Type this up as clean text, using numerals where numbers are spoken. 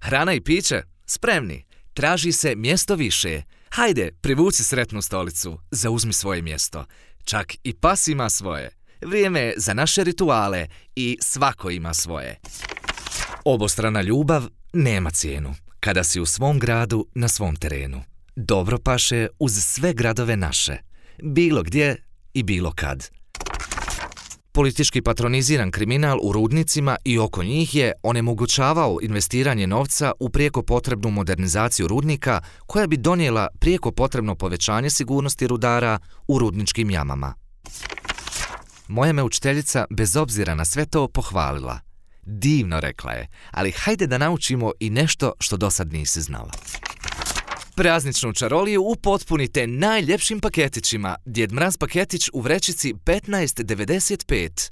Hrana i piće? Spremni. Traži se mjesto više. Hajde, privuci sretnu stolicu. Zauzmi svoje mjesto. Čak i pas ima svoje. Vrijeme je za naše rituale i svako ima svoje. Obostrana ljubav nema cijenu. Kada si u svom gradu, na svom terenu. Dobro paše uz sve gradove naše. Bilo gdje i bilo kad. Politički patroniziran kriminal u rudnicima i oko njih je onemogućavao investiranje novca u prijeko potrebnu modernizaciju rudnika koja bi donijela prijeko potrebno povećanje sigurnosti rudara u rudničkim jamama. Moja me učiteljica bez obzira na sve to pohvalila. Divno, rekla je, ali hajde da naučimo i nešto što dosad nisi znala. Prazničnu čaroliju upotpunite najljepšim paketićima. Djed Mraz paketić u vrećici 15,95.